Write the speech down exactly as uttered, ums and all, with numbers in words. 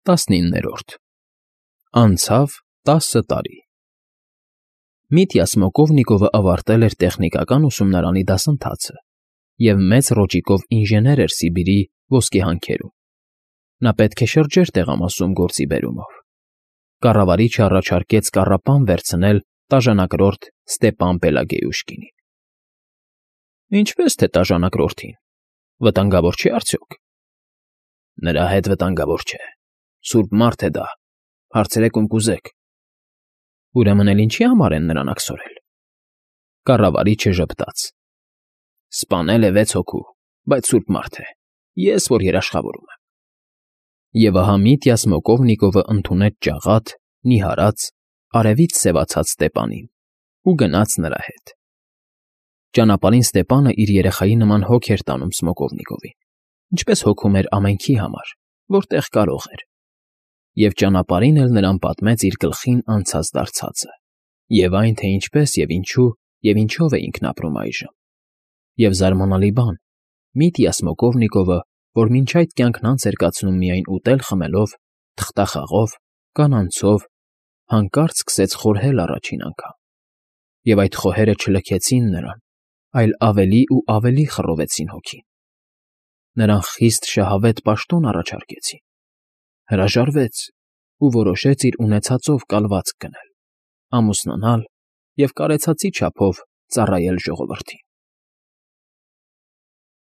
ՏԱՍՆԻՆՆԵՐՈՐԴ Անցավ տասը տարի։ Միտյա Սմոկովնիկովը ավարտել էր տեխնիկական ուսումնարանի դասընթացը և մեծ ռոճիկով ինժեներ էր Սիբիրի ոսկեհանքերում։ Նա պետք է շրջեր տեղամասում գործի բերումով։ Կառավարիչը առաջարկեց կառապան վերցնել տաժանակրորդ Ստեպան Պելագեյուշկինին։ ֊ Ինչպես թե տաժանակրորդին, վտանգավոր չէ՞ արդյոք։ ֊ Նրա հետ վտանգավոր չէ, սուրբ մարդ է դա, հարցրեք, ում կուզեք։ ֊ Ուրեմն էլ ինչի՞ համար են նրան աքսորել։ Կառավարիչը ժպտաց. ֊ Սպանել է վեց հոգու, բայց սուրբ մարդ է, ես որ երաշխավորում եմ։ Եվ ահա Միտյա Սմոկովնիկովը ընդունեց ջաղատ, նիհարած, արևից սևացած Ստեպանին ու գնաց նրա հետ։ Ճանապարհին Ստեպանը իր երեխայի նման հոգ էր տանում Սմոկովնիկովին, ինչպես հոգում էր ամենքի համար, որտեղ կարող էր, և ճանապարհին էլ նրան պատմեց իր գլխին անցած֊դարձածը, և այն, թե ինչպես և ինչու և ինչով է ինքն ապրում այժմ։ Եվ զարմանալի բան, Միտյա Սմոկովնիկովը, որ մինչ այդ կյանքն անց էր կացնում միայն ուտել֊խմելով, թղթախաղով, կանանցով, հանկարծ սկսեց խորհել առաջին անգամ, և այդ խոհերը չլքեցին նրան, այլ ավելի ու ավելի խռովեցին հոգին։ Նրան խիստ շահավետ պաշտոն առաջարկեցին։ Հրաժարվեց ու որոշեց իր ունեցածով կալվածք գնել, ամուսնանալ և կարեցածի չափով ծառայել ժողովրդին։